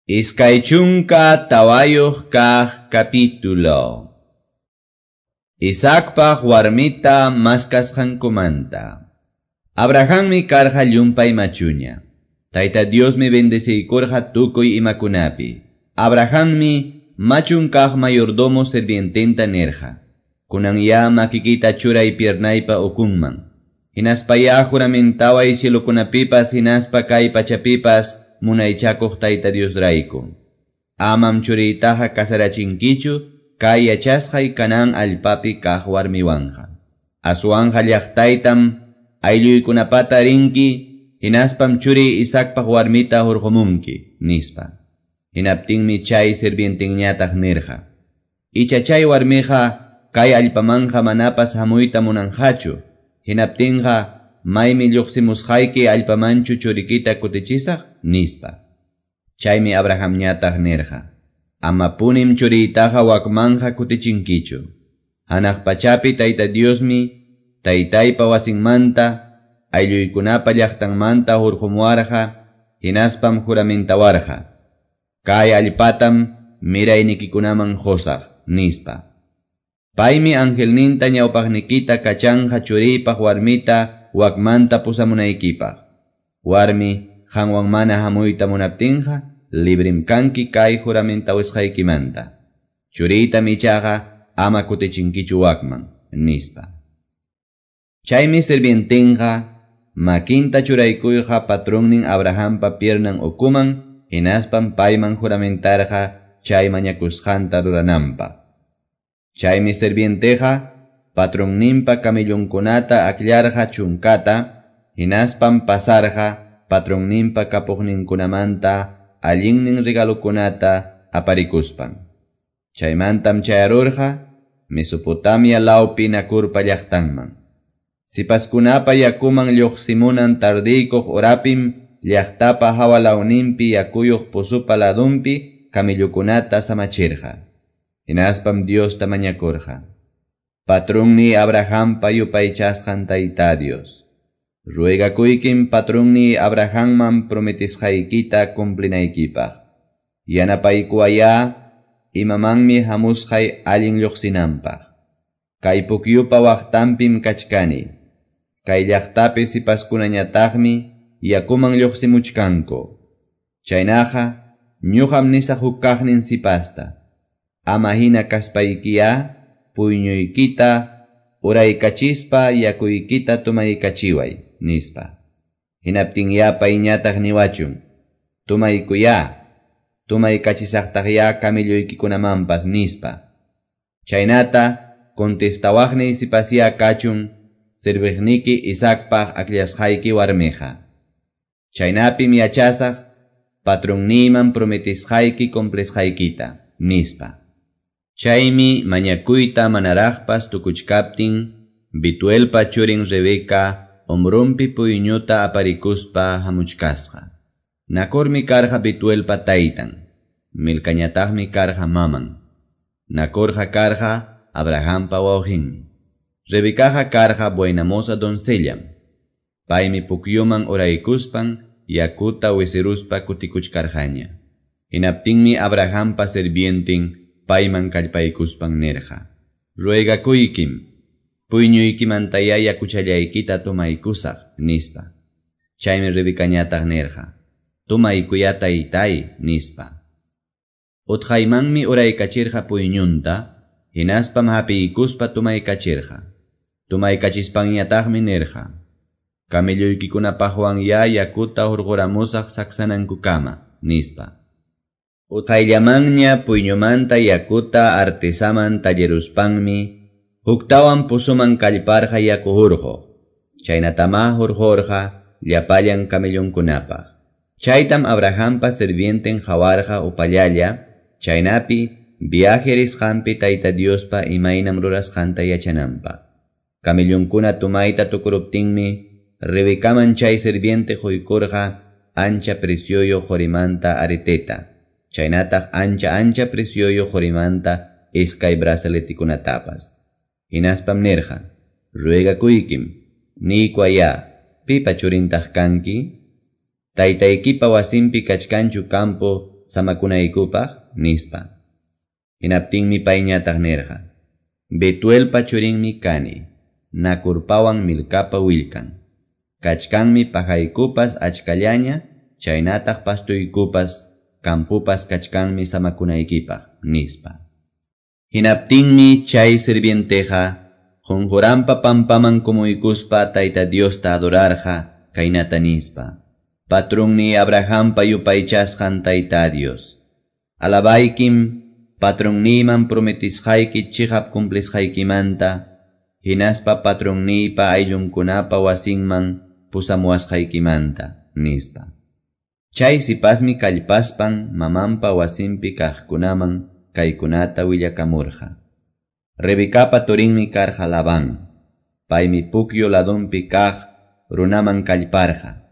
24 kaq capítulo. Isaacpaq warmita maskasqankumanta. Abrahammi karqa llumpay machuña. Tayta Diosmi bendeciykurqa tukuy imakunapi. Abrahammi machun kaq mayordomo sirviententa nirqa. Kunan ya makikita churay piernaypa ukunman. Hinaspaya juramentaway cielokunapipas hinaspa kay pachapipas munaychakuq Tayta Diosrayku. Amam churiytaqa kasarachinkichu kay yachasqay Canaán allpapi kaq warmiwanqa. Aswanqa llaqtaytam aylluykunapata rinki, hinaspam churiy Isaacpaq warmita hurqumunki, nispa. Hinaptinmi chay sirvientinñataq nirqa: Icha chay warmiqa kay allpamanqa manapas hamuyta munanqachu. Hinaptinqa maymi lluqsimusqayki allpamanchu churikita kutichisaq, nispa. Chaymi Abrahamñataq nirqa: Amapunim churiytaqa wakmanja kutichinkichu. Hanaq pachapi Tayta Diosmi taytaypa wasinmanta aylluykunapa llaqtanmanta hurqumuwarqa, hinaspam juramentawarqa: Kay allpatam miraynikikunaman qusaq, nispa. Paymi angelninta ñawpaqnikita kachanqa churiypaq warmita wakmanta pusamunaykipaq. Warmi qanwan mana hamuyta munaptinqa, librim kanki kay juramentawasqaykimanta. Churiytam ichaqa ama kutichinkichu wakman, nispa. Chaymi sirvientinqa makinta churaykuyqa patronnin Abrahampa piernan ukuman, hinaspam payman juramentarqa chay mañakusqanta rurananpaq. Chaymi sirvienteqa patronninpa camellonkunata akllarqa chunkata, hinaspam pasarqa patronninpa kapuqninkunamanta allinnin regalokunata aparikuspan. Chaymantam chayarurqa Mesopotamia lawpi Nakurpa llaqtanman. Sipaskunapa yakuman lluqsimunan tardiykuq horapim llaqtapa hawa lawninpi yakuyuq pozupa ladunpi camellokunata samachirqa. Hinaspam Diosta mañakurqa: Patrunni Abrahampa yupaychasqan Tayta Dios, ruegakuykim patrunni Abrahamman prometisqaykita cumplinaykipaq. Yanapaykuwaya imamanmi hamusqay allin lluqsinanpaq. Kay pukyupa waqtanpim kachkani. Kay llaqtapi sipaskunañataqmi yakuman lluqsimuchkanku. Chaynaqa ñuqam nisaq huk kaqnin sipasta: Ama hina kaspaykiya puyñuykita uraykachispa yakuykita tumaykachiway, nispa. Hinaptinya payñataq niwachun: Tumaykuya, tumaykachisaqtaqya camelloykikunamanpas, nispa. Chaynata contestawaqniy sipasya kachun sirviqniki Isaacpaq akllashqayki warmiqa. Chaynapim yachasaq patronniyman prometisqayki cumplisqaykita, nispa. Chaymi mañakuyta manaraqpas tukuchkaptin Bituelpa churin Rebeca hombrunpi puyñuta aparikuspa hamuchkasqa. Nacormi karqa Bituelpa taytan, Milcañataqmi karqa maman. Nacorqa karqa Abrahampa wawqinmi. Rebecaqa karqa buenamoza doncellam. Paymi pukyuman uraykuspan yakuta wisiruspa kutikuchkarqaña. Hinaptinmi Abrahampa sirvientin payman kallpaykuspan nirqa: Ruegakuykim, puyñuykimantaya yakuchallaykita tumaykusaq, nispa. Chaymi Rebecañataq nirqa: Tumaykuya taytay, nispa. Utqaymanmi uraykachirqa puyñunta, hinaspam hapiykuspa tumaykachirqa. Tumaykachispanñataqmi nirqa: Camelloykikunapaqwan ya yakuta hurquramusaq saksanankukama, nispa. Utqayllamanña puyñumanta yakuta artesaman talleruspanmi huktawan pozuman kallparqa yaku hurquq. Chaynatamá hurqurqa llapallan camellonkunapaq. Chaytam Abrahampa sirvienten qawarqa upallalla, chaynapi viaje risqanpi Tayta Diospa imaynam rurasqanta yachananpaq. Camellonkuna tumayta tukuruptinmi Rebecaman chay sirviente quykurqa ancha precioyuq qurimanta areteta, chaynataq ancha ancha precioyuq qurimanta iskay brazaletikunatapas. Hinaspam nirqa: Ruegakuykim, niykuwaya, pipa churintaq kanki? Taytaykipa wasinpi kachkanchu campo samakunaykupaq? nispa. Hinaptinmi payñataq nirqa: Betuelpa churinmi kani, Nacorpawan Milcapa willkan. Kachkanmi pajaykupas achkallaña, chaynataq pastoykupas, campopas kachkanmi samakunaykipaq, nispa. Hinaptinmi chay sirvienteqa qunquranpa pampaman kumuykuspa Tayta Diosta adorarqa kaynata nispa: Patrunniy Abrahampa yupaychasqan Tayta Dios, alabaykim patrunniyman prometisqayki chiqap cumplisqaykimanta, hinaspa patrunniypa ayllunkunapa wasinman pusamuwasqaykimanta, nispa. Chay sipasmi kallpaspan mamanpa wasinpi kaqkunaman kaykunata willakamurqa. Rebecapa turinmi karqa Labán. Paymi pukyu ladunpi kaq runaman kallparqa.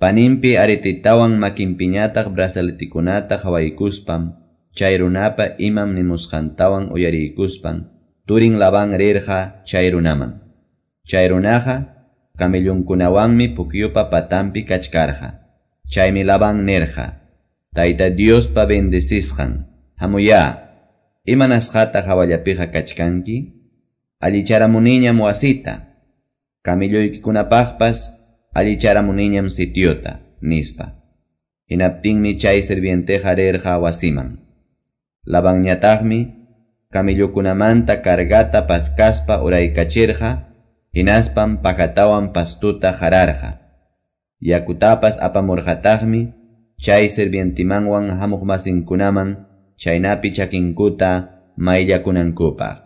Paninpi aretitawan makinpiñataq brazaletikunata qawaykuspam, chay runapa imam nimusqantawan uyariykuspan, turin Labán rirqa chay runaman. Chay runaqa camellonkunawanmi pukyupa patanpi kachkarqa. Chaymi Labán nirqa: Tayta Diospa bendecisqan, hamuyá, imanasqataq hawallapiqa kachkanki? Allicharamuniñam wasita, camelloykikunapaqpas allicharamuniñam sitiota, nispa. Hinaptinmi chay sirvienteqa rirqa wasiman. Labanñataqmi camellokunamanta cargata paskaspa uraykachirqa, hinaspam pajatawan pastuta qararqa. Yakutapas apamurqataqmi chay sirvientimanwan hamuqmasinkunaman chaynapi chakinkuta mayllakunankupaq.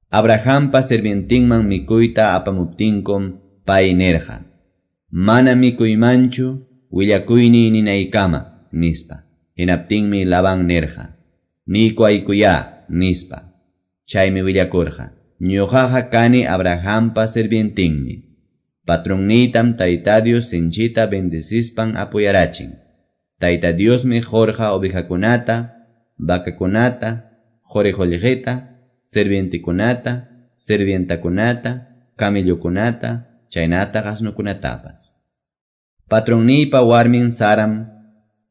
Abrahampa sirvientinman mikuyta apamuptinkum pay nirqa: Mana mikuymanchu willakuyniy ninaykama, nispa. Hinaptinmi Labán nirqa: Niykuwaykuyá, nispa. Chaymi willakurqa: Ñuqaqa kani Abrahampa sirvientinmi. Patrunniytam Tayta Dios sinchita bendecispan apuyarachin. Tayta Diosmi qurqa ovejakunata, vacakunata, quri qullqita, sirvientikunata, sirvientakunata, camellokunata, chaynataq asnokunatapas. Patrunniypa warmin Saram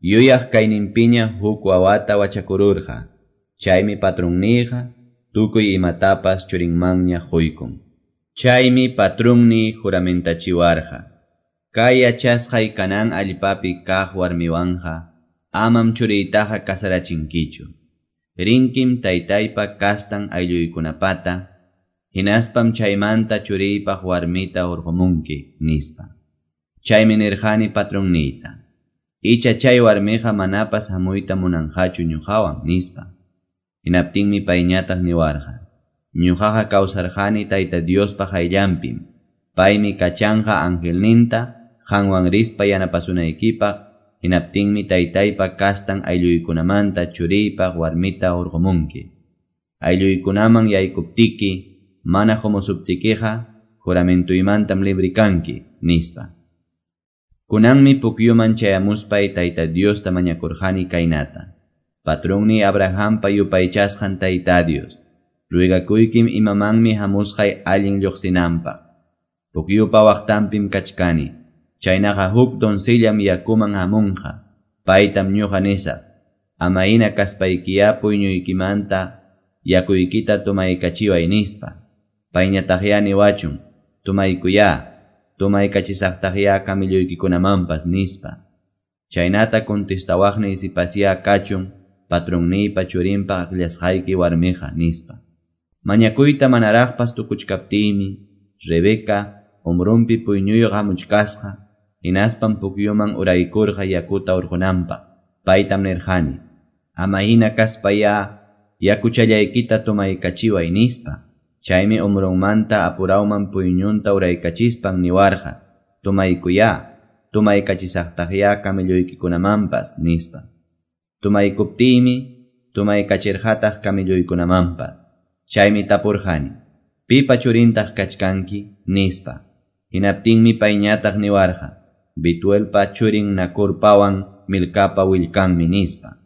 yuyaq kayninpiña huk wawata wachakururqa. Chaymi patrunniyqa tukuy imatapas churinmanña quykun. Chaymi patrunniy juramentachiwarqa: Kay yachasqay Canaán allpapi kaq warmiwanqa amam churiytaqa casarachinkichu. Rinkim taytaypa kastan aylluykunapata, hinaspam chaymanta churiypaq warmita hurqumunki, nispa. Chaymi nirqani patrunniyta: Icha chay warmiqa manapas hamuyta munanqachu ñuqawan, nispa. Hinaptinmi payñataq niwarqa: Ñuqaqa kawsarqani Tayta Diospa qayllanpim. Paymi kachanqa angelninta qanwan rispa yanapasunaykipaq, hinaptinmi taytaypa kastan aylluykunamanta churiypaq warmita hurqumunki. Aylluykunaman yaykuptiki, mana qumusuptikiqa, juramentuymantam libre kanki, nispa. Kunanmi pukyuman chayamuspay Tayta Diosta mañakurqani kaynata: Patrunniy Abrahampa yupaychasqan Tayta Dios, ruegakuykim imamanmi hamusqay allin lluqsinanpaq. Pukyupa waqtanpim kachkani, chaynaqa huk doncellam yakuman hamunqa, paytam ñuqa nisaq: Ama hina kaspaykiyá puyñuykimanta yakuykita tomaykachiway, nispa. Payñataqyá niwachun: Tomaykuyá, tomaykachisaqtaqyá camelloykikunamanpas, nispa. Chaynata contestawaqniy sipasyá kachun patrunniypa churinpaq akllasqayki warmiqa, nispa. Mañakuyta manaraqpas tukuchkaptiymi, Rebeca hombronpi puyñuyuq hamuchkasqa, hinaspam pukyuman uraykurqa yakuta hurqunanpaq. Paytam nirqani: Ama hina kaspayá yakuchallaykita tomaykachiway, nispa. Chaymi hombronmanta apurawman puyñunta uraykachispan niwarqa: Tomaykuyá, tomaykachisaqtaqyá camelloykikunamanpas, nispa. Tomaykuptiymi tomaykachirqataq camelloykunamanpas. Chaymi tapurqani: Pipa churintaq kachkanki, nispa. Hinaptinmi payñataq niwarqa: Betuelpa churin Nacorpawan Milcapa willkanmi, nispa.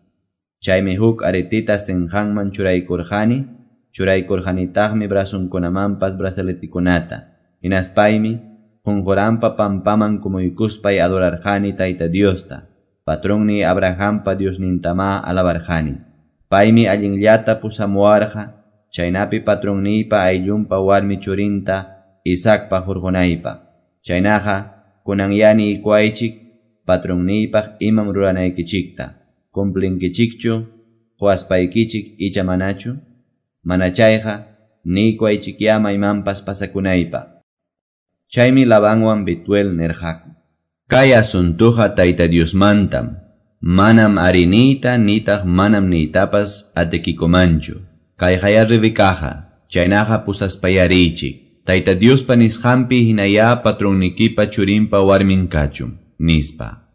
Chaymi huk aretita sinqanman churaykurqani, churaykurqanitaqmi brazonkunamanpas brazaletikunata. Hinaspaymi qunquranpa pampaman kumuykuspay adorarqani Tayta Diosta. Patronniy Abrahampa Diosnintamá alabarqani. Paymi allinllata pusamuwarqa, chaynapi patronniypa ayllunpa warmi churinta Isaacpaq hurqunaypaq. Chaynaqa, kunanyá niykuwaychik patronniypaq imam ruranaykichikta. Cumplinkichikchu quwaspaykichik icha manachu? Mana chayqa, niykuwaychikyá maymanpas pasakunaypaq. Chaymi Labanwan Betuel nirqaku: Kay asuntuqa Tayta Diosmantam, manam arí niyta nitaq manam niytapas atikikumanchu. Kayqayá Rebecaqa, chaynaqa pusaspayá riychik. Tayta Diospa nisqanpi hinayá patronnikipa churinpa warmin kachun, nispa.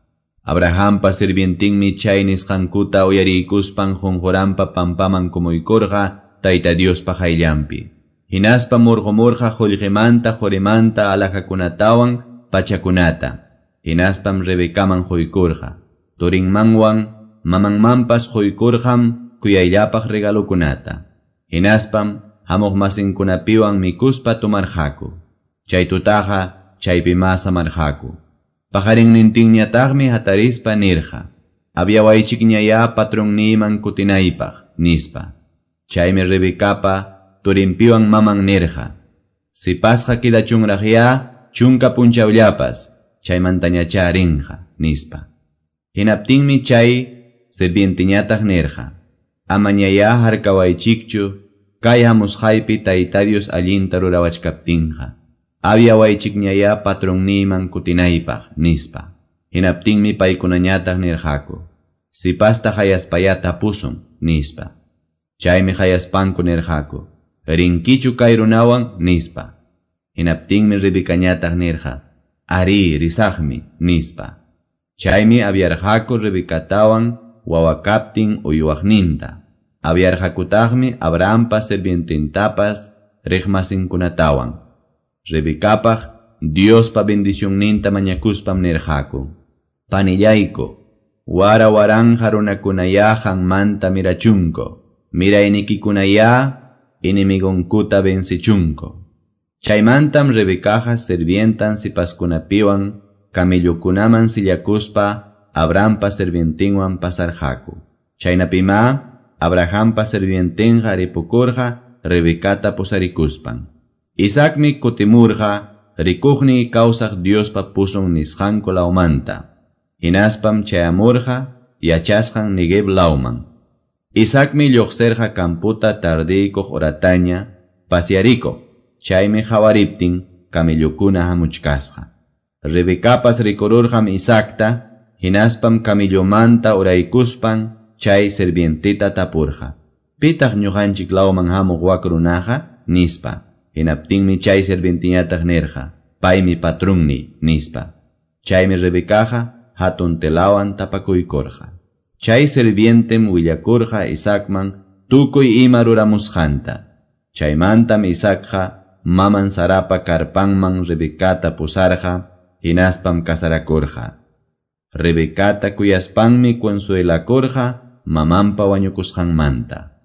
Abrahampa sirvientinmi chay nisqankuta uyariykuspan qunquranpa pampaman kumuykurqa Tayta Diospa qayllanpi. Hinaspa murqumurqa qullqimanta qurimanta alhajakunatawan pachakunata. Hinaspam Rebecaman quykurqa. Turinmanwan mamanmanpas quykurqam kuyayllapaq regalokunata. Hinaspam hamuq masinkunapiwan mikuspa tomarqaku. Chay tutaqa chaypimá samarqaku. Paqarinnintinñataqmi hatarispa nirqa: Aviawaychikñayá patronniyman kutinaypaq, nispa. Chaymi Rebecapa turinpiwan maman nirqa: Sipasqa quedachunraqyá chunka punchawllapas, chaymantañachá rinqa, nispa. Hinaptinmi chay sirvienteñataq nirqa: Amañayá harkawaychikchu kay hamusqaypi Tayta Dios allinta rurawachkaptinqa. Aviawaychikñayá patronniyman kutinaypaq, nispa. Hinaptinmi paykunañataq nirqaku: Sipasta hayaspayá tapusun, nispa. Chaymi hayaspanku nirqaku: Rinkichu kay runawan, nispa. Hinaptinmi Rebecañataq nirqa: Arí, risaqmi, nispa. Chaymi aviarqaku Rebecatawan wawakaptin uywaqninta. Aviarqakutaqmi Abrahampa sirvientintapas riqmasinkunatawan. Rebecapaq Diospa bendicionninta mañakuspam nirqaku: Panillayku, wara waranja runakunayá qanmanta mirachunku, miraynikikunayá enemigonkuta vencichunku. Chaymantam Rebecaqa sirvientan sipaskunapiwan camellokunaman sillakuspa Abrahampa sirvientinwan pasarqaku. Chaynapimá Abrahampa sirvientinqa ripukurqa Rebecata pusarikuspan. Isaacmi kutimurqa rikuqniy kawsaq Diospa pusun nisqanku lawmanta. Hinaspam chayamurqa yachasqan Neguev lawman. Isaacmi lluqsirqa kamputa tardiykuq horataña pasearikuq. Chaymi hawariptin camellokuna hamuchkasqa. Rebecapas rikururqam Isaacta, hinaspam camellomanta uraykuspan chay sirvientita tapurqa: Pitaq ñuqanchik lawman hamuq wak runaqa, nispa. Hinaptinmi chay sirvientiñataq nirqa: Paymi patrunniy, nispa. Chaymi Rebecaqa hatun telawan tapakuykurqa. Chay sirvientem willakurqa Isaacman tukuy ima ruramusqanta. Chaymantam Isaacqa maman Sarapa karpanman Rebecata pusarqa, hinaspam casarakurqa. Rebecata kuyaspanmi consuelakurqa mamanpa wañukusqanmanta.